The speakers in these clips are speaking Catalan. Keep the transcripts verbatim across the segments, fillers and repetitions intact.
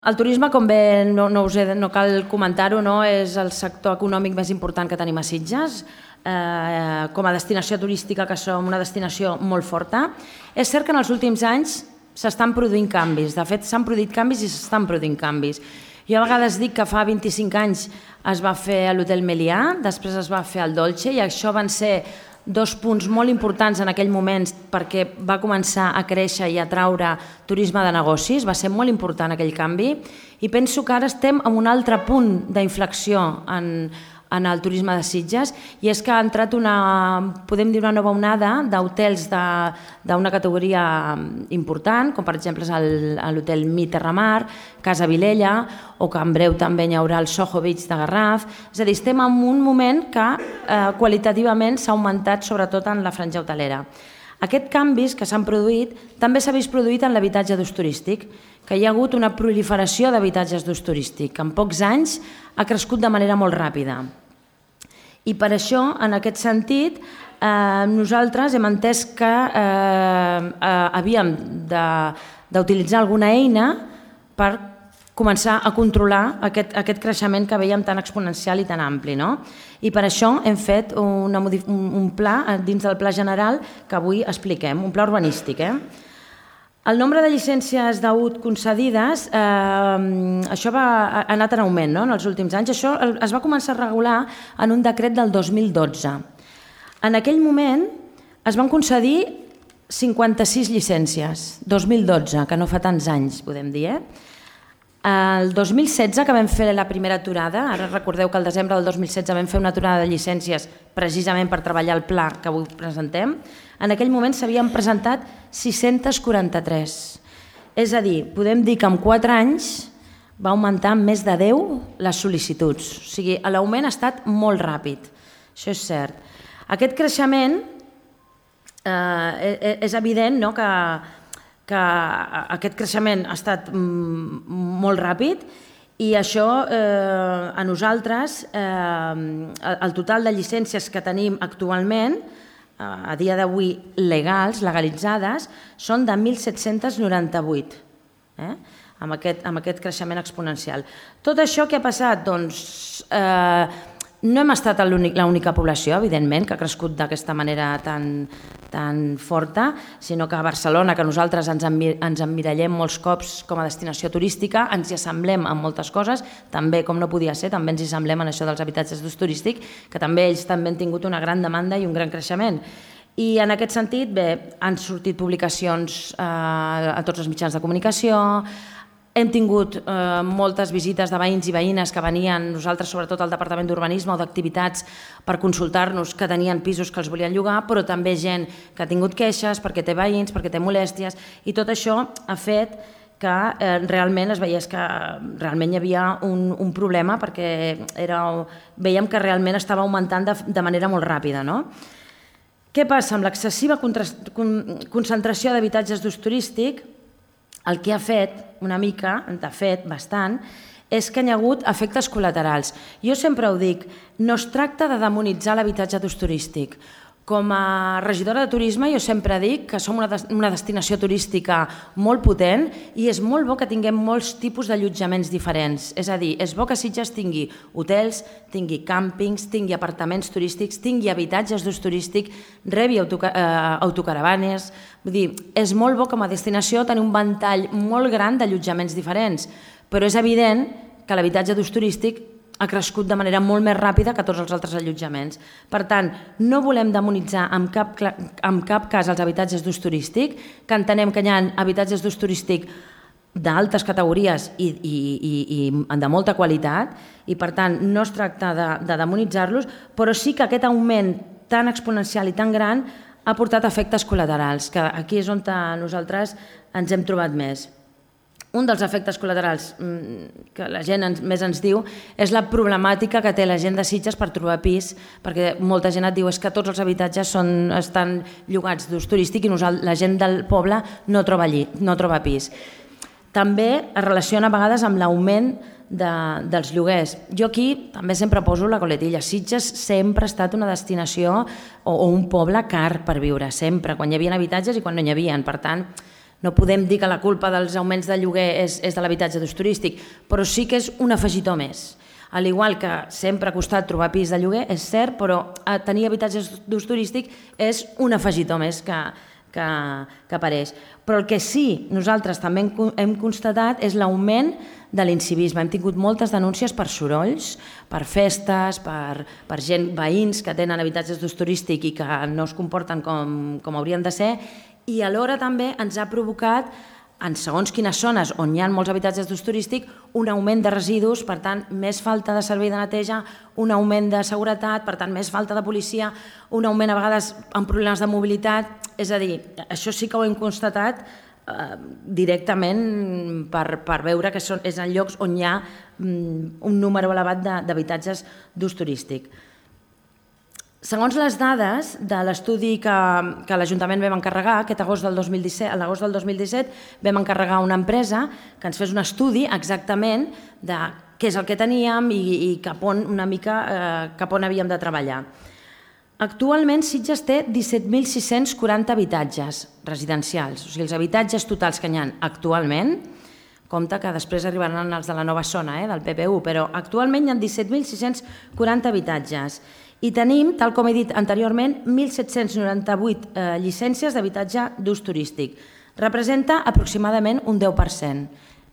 El turisme, com bé no, no, us he, no cal comentar-ho, no, és el sector econòmic més important que tenim a Sitges. Eh, com a destinació turística, que som una destinació molt forta. És cert que en els últims anys s'estan produint canvis. De fet, s'han produït canvis i s'estan produint canvis. Jo a vegades dic que fa vint-i-cinc anys es va fer a l'Hotel Melià, després es va fer al Dolce, i això van ser dos punts molt importants en aquell moment perquè va començar a créixer i a atraure turisme de negocis. Va ser molt important aquell canvi i penso que ara estem en un altre punt d'inflexió en, en el turisme de Sitges, i és que ha entrat una, podem dir, una nova onada d'hotels d'una categoria important, com per exemple és l'hotel Mi Terramar, Casa Vilella, o que en breu també hi haurà el Soho Beach de Garraf. És a dir, estem en un moment que eh, qualitativament s'ha augmentat sobretot en la franja hotelera. Aquests canvis que s'han produït també s'ha vist produït en l'habitatge d'ús turístic, que hi ha hagut una proliferació d'habitatges d'ús turístic, que en pocs anys ha crescut de manera molt ràpida. I per això, en aquest sentit, eh, nosaltres hem entès que eh, eh, havíem d'utilitzar alguna eina per començar a controlar aquest, aquest creixement que veiem tan exponencial i tan ampli, no? I per això hem fet una, un, un pla dins del Pla General que avui expliquem, un pla urbanístic. Eh? El nombre de llicències d'A U T concedides, eh, això va, ha anat en augment, no? En els últims anys. Això es va començar a regular en un decret del dos mil dotze. En aquell moment es van concedir cinquanta-sis llicències, dos mil dotze, que no fa tants anys, podem dir, eh? El dos mil setze, que vam fer la primera aturada, ara recordeu que el desembre del dos mil setze vam fer una aturada de llicències precisament per treballar el pla que avui presentem, en aquell moment s'havien presentat sis-centes quaranta-tres. És a dir, podem dir que en quatre anys va augmentar més de deu les sol·licituds. O sigui, l'augment ha estat molt ràpid, això és cert. Aquest creixement eh, és evident, no?, que que aquest creixement ha estat molt ràpid i això eh, a nosaltres, eh, el total de llicències que tenim actualment, eh, a dia d'avui legals, legalitzades, són de mil set-cents noranta-vuit, eh? amb, aquest, amb aquest creixement exponencial. Tot això què ha passat? Doncs eh, no hem estat l'única població, evidentment, que ha crescut d'aquesta manera tan, tan forta, sinó que a Barcelona, que nosaltres ens, ens emmirallem molts cops com a destinació turística, ens hi assemblem en moltes coses, també, com no podia ser, també ens hi assemblem en això dels habitatges d'ús turístic, que també ells també han tingut una gran demanda i un gran creixement. I en aquest sentit, bé, han sortit publicacions eh, a tots els mitjans de comunicació. Hem tingut eh, moltes visites de veïns i veïnes que venien, nosaltres sobretot al Departament d'Urbanisme o d'Activitats, per consultar-nos que tenien pisos que els volien llogar, però també gent que ha tingut queixes perquè té veïns, perquè té molèsties, i tot això ha fet que eh, realment es veiés que realment hi havia un, un problema perquè era, veiem que realment estava augmentant de, de manera molt ràpida, no? Què passa? Amb l'excessiva concentració d'habitatges d'ús turístic, el que ha fet una mica, de fet, bastant, és que hi ha hagut efectes col·laterals. Jo sempre ho dic, no es tracta de demonitzar l'habitatge d'ús turístic. Com a regidora de turisme jo sempre dic que som una destinació turística molt potent i és molt bo que tinguem molts tipus d'allotjaments diferents. És a dir, és bo que Sitges tingui hotels, tingui càmpings, tingui apartaments turístics, tingui habitatges d'ús turístic, rebi autocaravanes. Vull dir, és molt bo com a destinació tenir un ventall molt gran d'allotjaments diferents, però és evident que l'habitatge d'ús turístic ha crescut de manera molt més ràpida que tots els altres allotjaments. Per tant, no volem demonitzar en cap, en cap cas els habitatges d'ús turístic, que entenem que hi ha habitatges d'ús turístic d'altes categories i, i, i, i de molta qualitat, i per tant no es tracta de, de demonitzar-los, però sí que aquest augment tan exponencial i tan gran ha portat efectes col·laterals, que aquí és on nosaltres ens hem trobat més. Un dels efectes col·laterals que la gent més ens diu és la problemàtica que té la gent de Sitges per trobar pis, perquè molta gent et diu és que tots els habitatges són, estan llogats d'ús turístic i la gent del poble no troba, allí, no troba pis. També es relaciona a vegades amb l'augment de, dels lloguers. Jo aquí també sempre poso la coletilla. Sitges sempre ha estat una destinació o, o un poble car per viure, sempre, quan hi havia habitatges i quan no hi havia. Per tant, No podem dir que la culpa dels augments de lloguer és, és de l'habitatge d'ús turístic, però sí que és un afegitó més. Al igual que sempre ha costat trobar pis de lloguer, és cert, però tenir habitatge d'ús turístic és un afegitó més que, que, que apareix. Però el que sí nosaltres també hem, hem constatat és l'augment de l'incivisme. Hem tingut moltes denúncies per sorolls, per festes, per, per gent, veïns que tenen habitatges d'ús turístic i que no es comporten com, com haurien de ser, i alhora també ens ha provocat, en segons quines zones on hi ha molts habitatges d'ús turístic, un augment de residus, per tant, més falta de servei de neteja, un augment de seguretat, per tant, més falta de policia, un augment a vegades amb problemes de mobilitat. És a dir, això sí que ho hem constatat eh, directament per, per veure que són, és en llocs on hi ha mm, un número elevat d'habitatges d'ús turístic. Segons les dades de l'estudi que, que l'Ajuntament vam encarregar, aquest agost del dos mil disset, a l'agost del dos mil disset vam encarregar a una empresa que ens fes un estudi exactament de què és el que teníem i, i cap on una mica eh, cap on havíem de treballar. Actualment Sitges té disset mil sis-cents quaranta habitatges residencials, o sigui, els habitatges totals que hi ha actualment, compte que després arribaran els de la nova zona, eh, del P P U, però actualment hi ha disset mil sis-cents quaranta habitatges. I tenim, tal com he dit anteriorment, mil set-cents noranta-vuit eh, llicències d'habitatge d'ús turístic. Representa aproximadament un deu per cent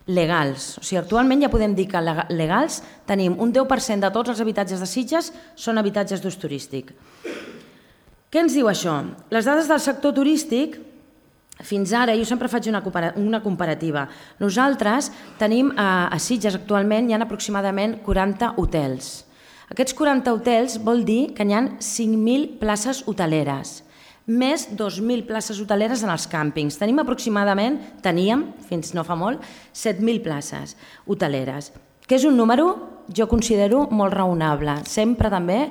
legals. O sigui, actualment ja podem dir que legals tenim un deu per cent de tots els habitatges de Sitges són habitatges d'ús turístic. Què ens diu això? Les dades del sector turístic, fins ara, jo sempre faig una comparativa. Nosaltres tenim a Sitges actualment hi ha aproximadament quaranta hotels. Aquests quaranta hotels vol dir que hi ha cinc mil places hoteleres, més dos mil places hoteleres en els càmpings. Tenim aproximadament, teníem, fins no fa molt, set mil places hoteleres, que és un número, jo considero, molt raonable. Sempre també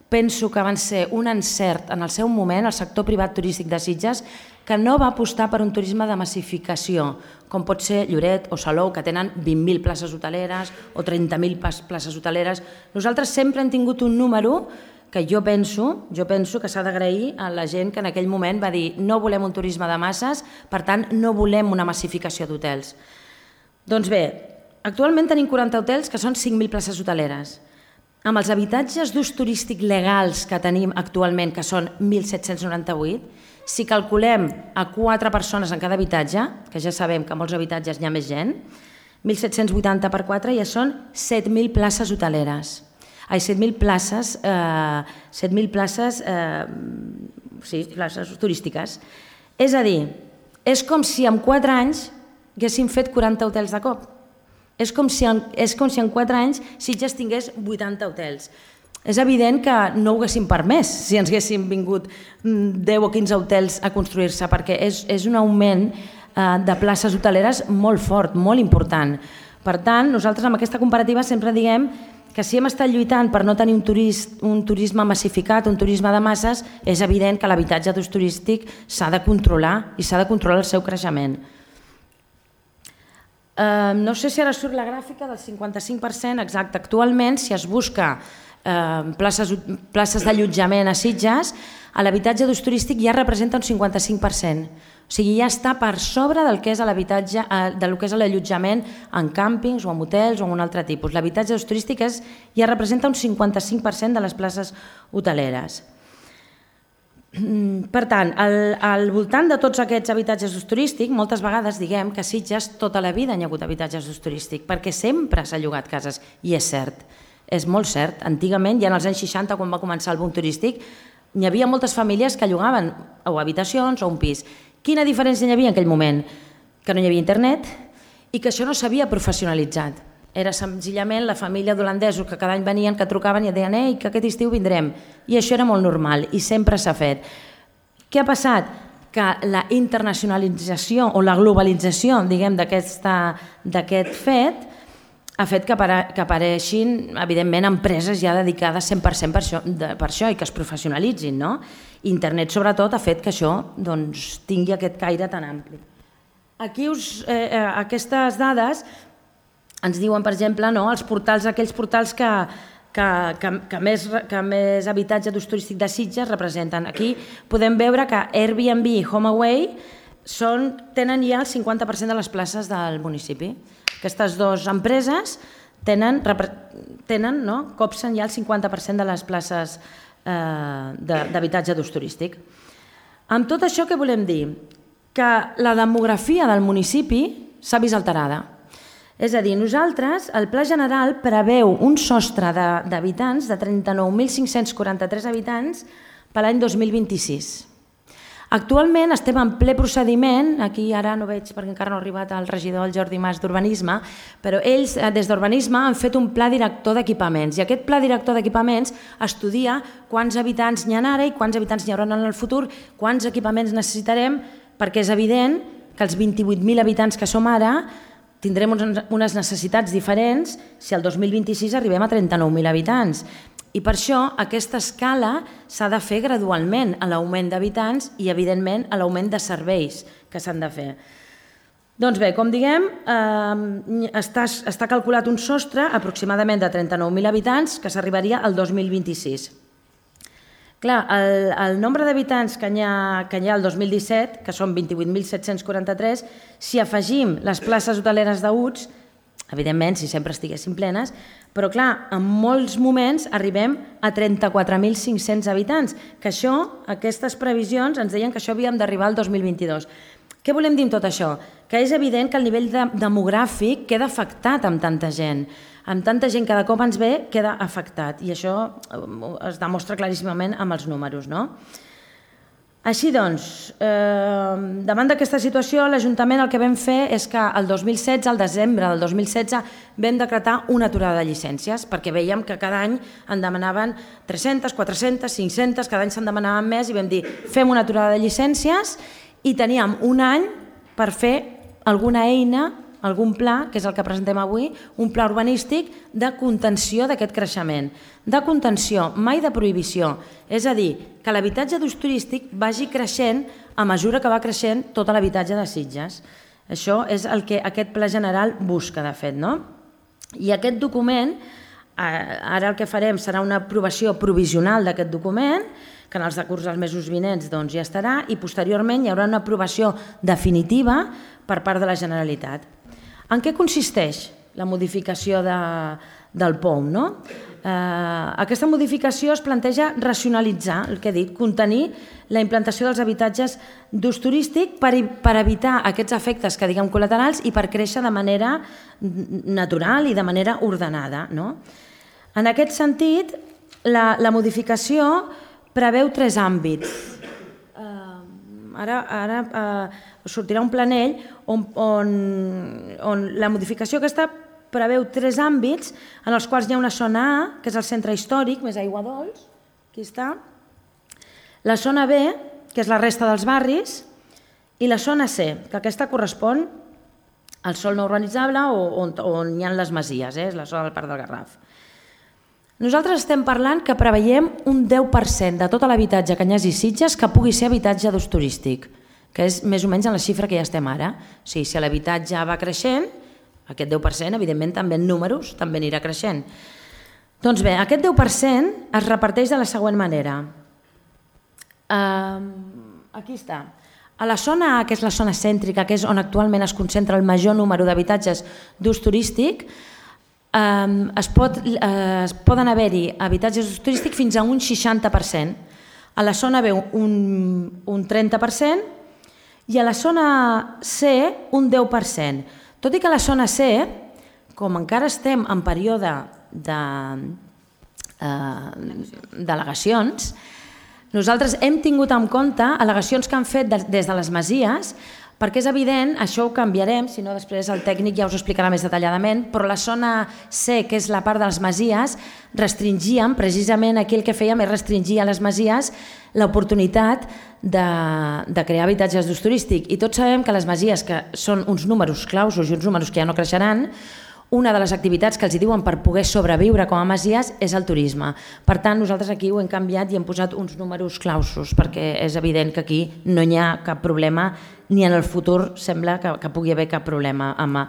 penso que van ser un encert en el seu moment el sector privat turístic de Sitges, que no va apostar per un turisme de massificació, com pot ser Lloret o Salou, que tenen vint mil places hoteleres o trenta mil places hoteleres. Nosaltres sempre hem tingut un número que jo penso, jo penso que s'ha d'agrair a la gent que en aquell moment va dir no volem un turisme de masses, per tant no volem una massificació d'hotels. Doncs bé, actualment tenim quaranta hotels que són cinc mil places hoteleres. Amb els habitatges d'ús turístic legals que tenim actualment, que són mil set-cents noranta-vuit, si calculem a quatre persones en cada habitatge, que ja sabem que en molts habitatges hi ha més gent, mil set-cents vuitanta per quatre ja són set mil places hoteleres. Ai, set mil places, eh, set mil places, eh, sí, places turístiques. És a dir, és com si en quatre anys haguéssim fet quaranta hotels de cop. És com si en, és com si en quatre anys Sitges tingués vuitanta hotels. És evident que no ho haguéssim permès si ens haguéssim vingut deu o quinze hotels a construir-se, perquè és, és un augment eh, de places hoteleres molt fort, molt important. Per tant, nosaltres amb aquesta comparativa sempre diguem que si hem estat lluitant per no tenir un, turist, un turisme massificat, un turisme de masses, és evident que l'habitatge d'ús turístic s'ha de controlar i s'ha de controlar el seu creixement. Eh, no sé si ara surt la gràfica del cinquanta-cinc per cent exacte. Actualment, si es busca eh, places, places d'allotjament a Sitges, l'habitatge d'ús turístic ja representa un cinquanta-cinc per cent. O sigui, ja està per sobre del que és l'habitatge, del que és l'allotjament en càmpings o en hotels o en un altre tipus. L'habitatge d'ús turístic és, ja representa un cinquanta-cinc per cent de les places hoteleres. Per tant, al, al voltant de tots aquests habitatges d'ús turístic, moltes vegades diguem que a Sitges tota la vida hi ha hagut habitatges d'ús turístic, perquè sempre s'ha llogat cases, i és cert, és molt cert. Antigament, ja en els anys seixanta, quan va començar el boom turístic, hi havia moltes famílies que llogaven o habitacions o un pis. Quina diferència hi havia en aquell moment? Que no hi havia internet i que això no s'havia professionalitzat. Era senzillament la família d'holandesos que cada any venien, que trucaven i et deien «Ei, que aquest estiu vindrem». I això era molt normal i sempre s'ha fet. Què ha passat? Que la internacionalització o la globalització, diguem, d'aquest fet ha fet que apareixin, evidentment, empreses ja dedicades cent per cent per això, per això i que es professionalitzin, no? Internet, sobretot, ha fet que això doncs, tingui aquest caire tan ampli. Aquí us, eh, aquestes dades ens diuen, per exemple, no, els portals, aquells portals que, que, que, que, més, que més habitatge d'ús turístic de Sitges representen. Aquí podem veure que Airbnb i HomeAway són, tenen ja el cinquanta per cent de les places del municipi. Aquestes dues empreses tenen, tenen no? copsen ja el cinquanta per cent de les places eh, d'habitatge d'ús turístic. Amb tot això, què volem dir? Que la demografia del municipi s'ha vist alterada. És a dir, nosaltres, el Pla General preveu un sostre d'habitants de trenta-nou mil cinc-cents quaranta-tres habitants per l'any dos mil vint-i-sis. Actualment estem en ple procediment, aquí ara no veig perquè encara no ha arribat el regidor, el Jordi Mas, d'Urbanisme, però ells des d'Urbanisme han fet un pla director d'equipaments i aquest pla director d'equipaments estudia quants habitants n'hi ha ara i quants habitants n'hi haurà en el futur, quants equipaments necessitarem, perquè és evident que els vint-i-vuit mil habitants que som ara tindrem unes necessitats diferents si el dos mil vint-i-sis arribem a trenta-nou mil habitants. I per això aquesta escala s'ha de fer gradualment a l'augment d'habitants i, evidentment, a l'augment de serveis que s'han de fer. Doncs bé, com diguem, eh, està, està calculat un sostre aproximadament de trenta-nou mil habitants que s'arribaria al dos mil vint-i-sis. Clar, el, el nombre d'habitants que n'hi ha, que n'hi ha el dos mil disset, que són vint-i-vuit mil set-cents quaranta-tres, si afegim les places hoteleres d'U T S, evidentment, si sempre estiguessin plenes, però clar, en molts moments arribem a trenta-quatre mil cinc-cents habitants, que això, aquestes previsions, ens deien que això havíem d'arribar al dos mil vint-i-dos. Què volem dir amb tot això? Que és evident que el nivell de, demogràfic queda afectat amb tanta gent. Amb tanta gent que de cop ens ve, queda afectat. I això es demostra claríssimament amb els números, no? Així doncs, eh, davant d'aquesta situació, l'Ajuntament el que vam fer és que el dos mil setze, al desembre del dos mil setze, vam decretar una aturada de llicències, perquè veiem que cada any en demanaven tres-centes, quatre-centes, cinc-centes, cada any se'n demanaven més i vam dir fem una aturada de llicències i teníem un any per fer alguna eina, algun pla, que és el que presentem avui, un pla urbanístic de contenció d'aquest creixement. De contenció, mai de prohibició. És a dir, que l'habitatge d'ús turístic vagi creixent a mesura que va creixent tot l'habitatge de Sitges. Això és el que aquest pla general busca, de fet, no? I aquest document, ara el que farem serà una aprovació provisional d'aquest document, que en els decurs dels mesos vinents doncs, ja estarà, i posteriorment hi haurà una aprovació definitiva per part de la Generalitat. En què consisteix la modificació de, del P O M? No? Eh, aquesta modificació es planteja racionalitzar, el que he dit, contenir la implantació dels habitatges d'ús turístic per, per evitar aquests efectes que diguem col·laterals i per créixer de manera natural i de manera ordenada. No? En aquest sentit, la, la modificació preveu tres àmbits. Uh, ara ara uh, sortirà un planell on, on, on la modificació aquesta preveu tres àmbits en els quals hi ha una zona A, que és el centre històric, més aigua dolç, aquí està, la zona B, que és la resta dels barris, i la zona C, que aquesta correspon al sòl no urbanitzable o on, on hi ha les masies, eh? És la zona del Parc del Garraf. Nosaltres estem parlant que preveiem un deu per cent de tot l'habitatge que hi hagi Sitges que pugui ser habitatge d'ús turístic, que és més o menys en la xifra que ja estem ara. O sigui, si l'habitatge va creixent, aquest deu per cent, evidentment, també en números, també anirà creixent. Doncs bé, aquest deu per cent es reparteix de la següent manera. Uh, aquí està. A la zona A, que és la zona cèntrica, que és on actualment es concentra el major número d'habitatges d'ús turístic, Uh, es, pot, uh, es poden haver-hi habitatges d'ús turístic fins a un seixanta per cent. A la zona B un, un trenta per cent i a la zona C un deu per cent. Tot i que a la zona C, com encara estem en període de uh, delegacions, nosaltres hem tingut en compte al·legacions que han fet de, des de les masies, perquè és evident, això ho canviarem, si no després el tècnic ja us ho explicarà més detalladament, però la zona C, que és la part de les masies, restringíem, precisament aquí el que fèiem és restringir a les masies l'oportunitat de, de crear habitatges d'ús turístic. I tots sabem que les masies, que són uns números clausos i uns números que ja no creixeran, una de les activitats que els diuen per poder sobreviure com a masies és el turisme. Per tant, nosaltres aquí ho hem canviat i hem posat uns números clausos, perquè és evident que aquí no hi ha cap problema, ni en el futur sembla que, que pugui haver cap problema amb,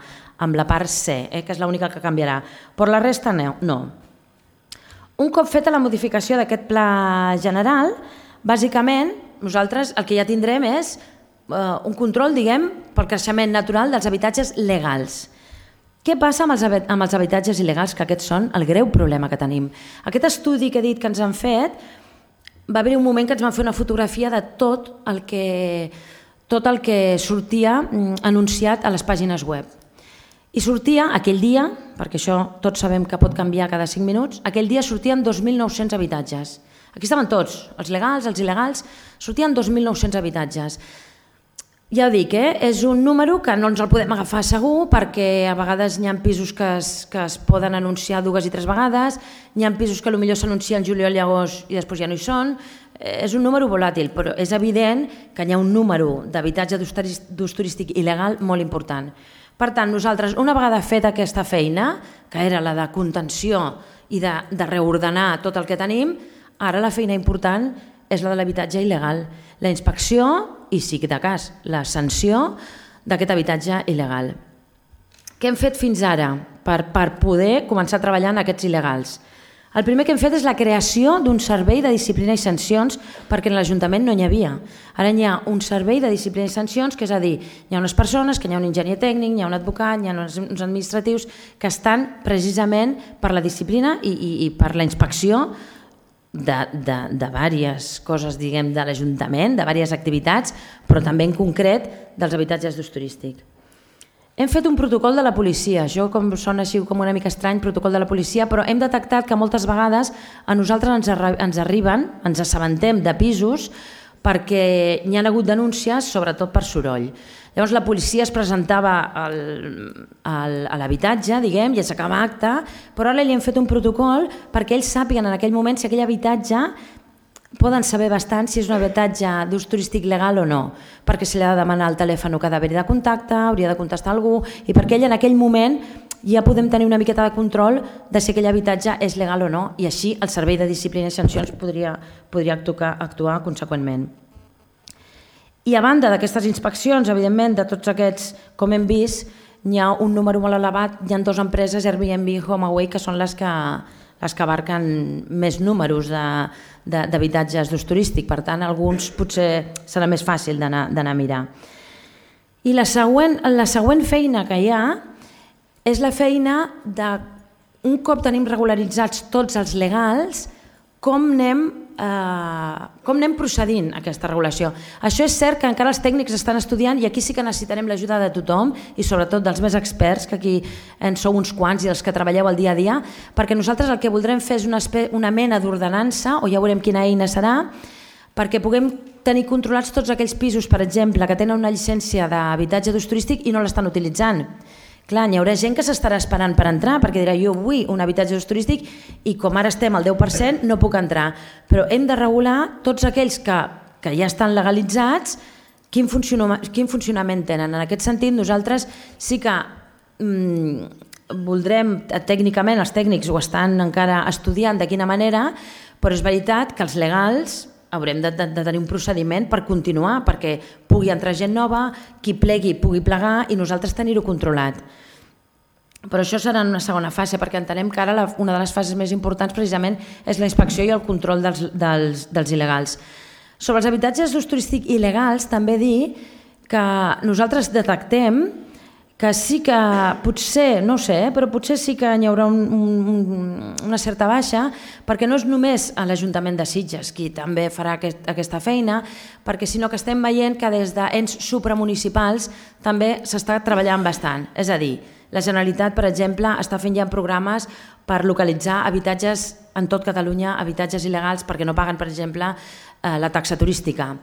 amb la part C, eh, que és l'única que canviarà. Però la resta no. no. Un cop feta la modificació d'aquest pla general, bàsicament nosaltres el que ja tindrem és un control, diguem, pel creixement natural dels habitatges legals. Què passa amb els, amb els habitatges il·legals, que aquests són el greu problema que tenim? Aquest estudi que he dit que ens han fet, va haver un moment que ens van fer una fotografia de tot el que, tot el que sortia anunciat a les pàgines web. I sortia aquell dia, perquè això tots sabem que pot canviar cada cinc minuts, aquell dia sortien dos mil nou-cents habitatges. Aquí estaven tots, els legals, els il·legals, sortien dos mil nou-cents habitatges. Ja ho dic, eh? És un número que no ens el podem agafar segur perquè a vegades hi ha pisos que es, que es poden anunciar dues i tres vegades, hi ha pisos que potser s'anuncien juliol i agost i després ja no hi són. És un número volàtil, però és evident que hi ha un número d'habitatge d'ús turístic il·legal molt important. Per tant, nosaltres, una vegada feta aquesta feina, que era la de contenció i de, de reordenar tot el que tenim, ara la feina important és la de l'habitatge il·legal, la inspecció i, si de cas, la sanció d'aquest habitatge il·legal. Què hem fet fins ara per, per poder començar a treballar en aquests il·legals? El primer que hem fet és la creació d'un servei de disciplina i sancions perquè en l'Ajuntament no n'hi havia. Ara hi ha un servei de disciplina i sancions, que és a dir, hi ha unes persones, que hi ha un enginyer tècnic, hi ha un advocat, hi ha uns, uns administratius que estan precisament per la disciplina i, i, i per la inspecció de, de, de diverses coses, diguem, de l'Ajuntament, de diverses activitats, però també en concret dels habitatges d'ús turístic. Hem fet un protocol de la policia, això com sona així com una mica estrany, protocol de la policia, però hem detectat que moltes vegades a nosaltres ens, arri ens arriben, ens assabentem de pisos perquè hi ha hagut denúncies, sobretot per soroll. Llavors la policia es presentava al, al, a l'habitatge, diguem, i s'acaba acte, però ara li hem fet un protocol perquè ells sàpiguen en aquell moment si aquell habitatge poden saber bastant si és un habitatge d'ús turístic legal o no, perquè se li ha de demanar el telèfon que ha d'haver-hi de contacte, hauria de contestar algú, i perquè ell en aquell moment ja podem tenir una miqueta de control de si aquell habitatge és legal o no, i així el Servei de Disciplina i Sancions podria, podria actuar, actuar conseqüentment. I a banda d'aquestes inspeccions, evidentment, de tots aquests, com hem vist, hi ha un número molt elevat, hi ha dues empreses, Airbnb i HomeAway, que són les que, les que abarquen més números d'habitatges d'ús turístic, per tant, alguns potser serà més fàcil d'anar a mirar. I la següent, la següent feina que hi ha és la feina de, un cop tenim regularitzats tots els legals, com anem Uh, com anem procedint a aquesta regulació. Això és cert que encara els tècnics estan estudiant i aquí sí que necessitarem l'ajuda de tothom i sobretot dels més experts, que aquí en sou uns quants i els que treballeu el dia a dia, perquè nosaltres el que voldrem fer és una, una mena d'ordenança, o ja veurem quina eina serà, perquè puguem tenir controlats tots aquells pisos, per exemple, que tenen una llicència d'habitatge d'ús turístic i no l'estan utilitzant. Clar, hi haurà gent que s'estarà esperant per entrar perquè dirà jo vull un habitatge d'ús turístic i com ara estem al deu per cent no puc entrar. Però hem de regular tots aquells que, que ja estan legalitzats, quin, funciona, quin funcionament tenen. En aquest sentit, nosaltres sí que mm, voldrem, tècnicament els tècnics ho estan encara estudiant de quina manera, però és veritat que els legals haurem de, de, de tenir un procediment per continuar, perquè pugui entrar gent nova, qui plegui pugui plegar i nosaltres tenir-ho controlat. Però això serà en una segona fase, perquè entenem que ara la, una de les fases més importants precisament és la inspecció i el control dels, dels, dels il·legals. Sobre els habitatges d'ús turístic il·legals, també dir que nosaltres detectem que sí que potser, no ho sé, però potser sí que hi haurà un, un, una certa baixa, perquè no és només a l'Ajuntament de Sitges qui també farà aquest, aquesta feina, perquè sinó que estem veient que des d'ens supramunicipals també s'està treballant bastant. És a dir, la Generalitat, per exemple, està fent ja programes per localitzar habitatges en tot Catalunya, habitatges il·legals perquè no paguen, per exemple, la taxa turística.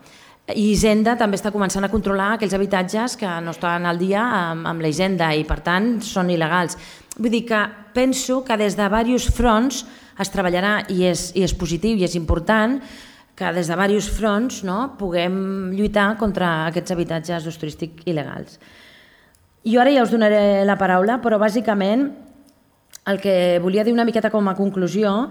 I Hisenda també està començant a controlar aquells habitatges que no estan al dia amb, amb la Hisenda i per tant són il·legals. Vull dir que penso que des de diversos fronts es treballarà i és, i és positiu i és important que des de diversos fronts no, puguem lluitar contra aquests habitatges d'ús turístic il·legals. Jo ara ja us donaré la paraula, però bàsicament el que volia dir una miqueta com a conclusió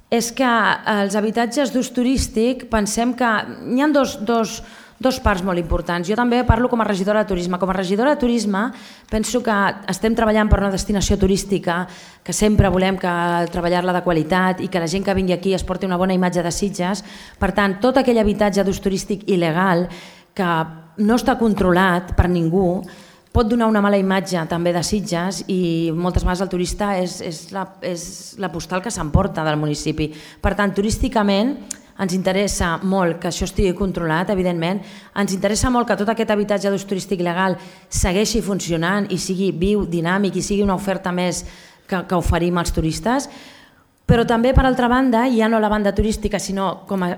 és que els habitatges d'ús turístic pensem que hi ha dos, dos, dos parts molt importants. Jo també parlo com a regidora de turisme. Com a regidora de turisme penso que estem treballant per una destinació turística, que sempre volem que treballar-la de qualitat i que la gent que vingui aquí es porti una bona imatge de Sitges. Per tant, tot aquell habitatge d'ús turístic il·legal que no està controlat per ningú, pot donar una mala imatge també de Sitges i moltes vegades el turista és, és, la, és la postal que s'emporta del municipi. Per tant, turísticament ens interessa molt que això estigui controlat, evidentment, ens interessa molt que tot aquest habitatge d'ús turístic legal segueixi funcionant i sigui viu, dinàmic i sigui una oferta més que, que oferim als turistes, però també, per altra banda, ja no la banda turística, sinó com a,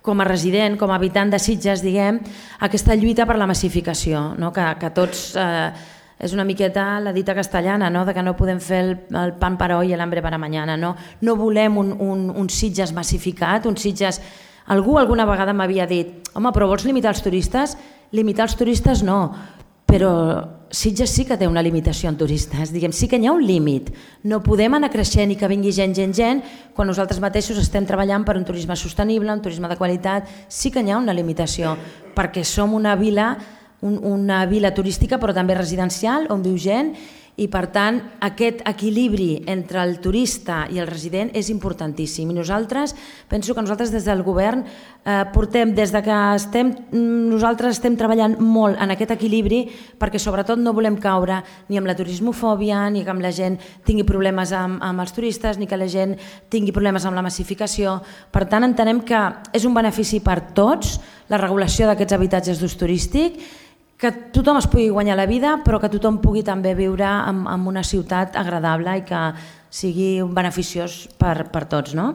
com a resident, com a habitant de Sitges, diguem, aquesta lluita per la massificació, no? que, que tots... Eh, és una miqueta la dita castellana, no? De que no podem fer el, el pan per hoy i l'hambre per a mañana. No, no volem un, un, un Sitges massificat, un Sitges... Algú alguna vegada m'havia dit, home, però vols limitar els turistes? Limitar els turistes no, però Sitges sí que té una limitació en turistes, diguem, sí que hi ha un límit. No podem anar creixent i que vingui gent, gent, gent, quan nosaltres mateixos estem treballant per un turisme sostenible, un turisme de qualitat, sí que hi ha una limitació, perquè som una vila una vila turística però també residencial on viu gent i per tant aquest equilibri entre el turista i el resident és importantíssim i nosaltres, penso que nosaltres des del govern eh, portem, des de que estem, nosaltres estem treballant molt en aquest equilibri perquè sobretot no volem caure ni amb la turismofòbia, ni que la gent tingui problemes amb, amb els turistes, ni que la gent tingui problemes amb la massificació. Per tant, entenem que és un benefici per tots la regulació d'aquests habitatges d'ús turístic, que tothom es pugui guanyar la vida, però que tothom pugui també viure en, en una ciutat agradable i que sigui beneficiós per, per tots, no?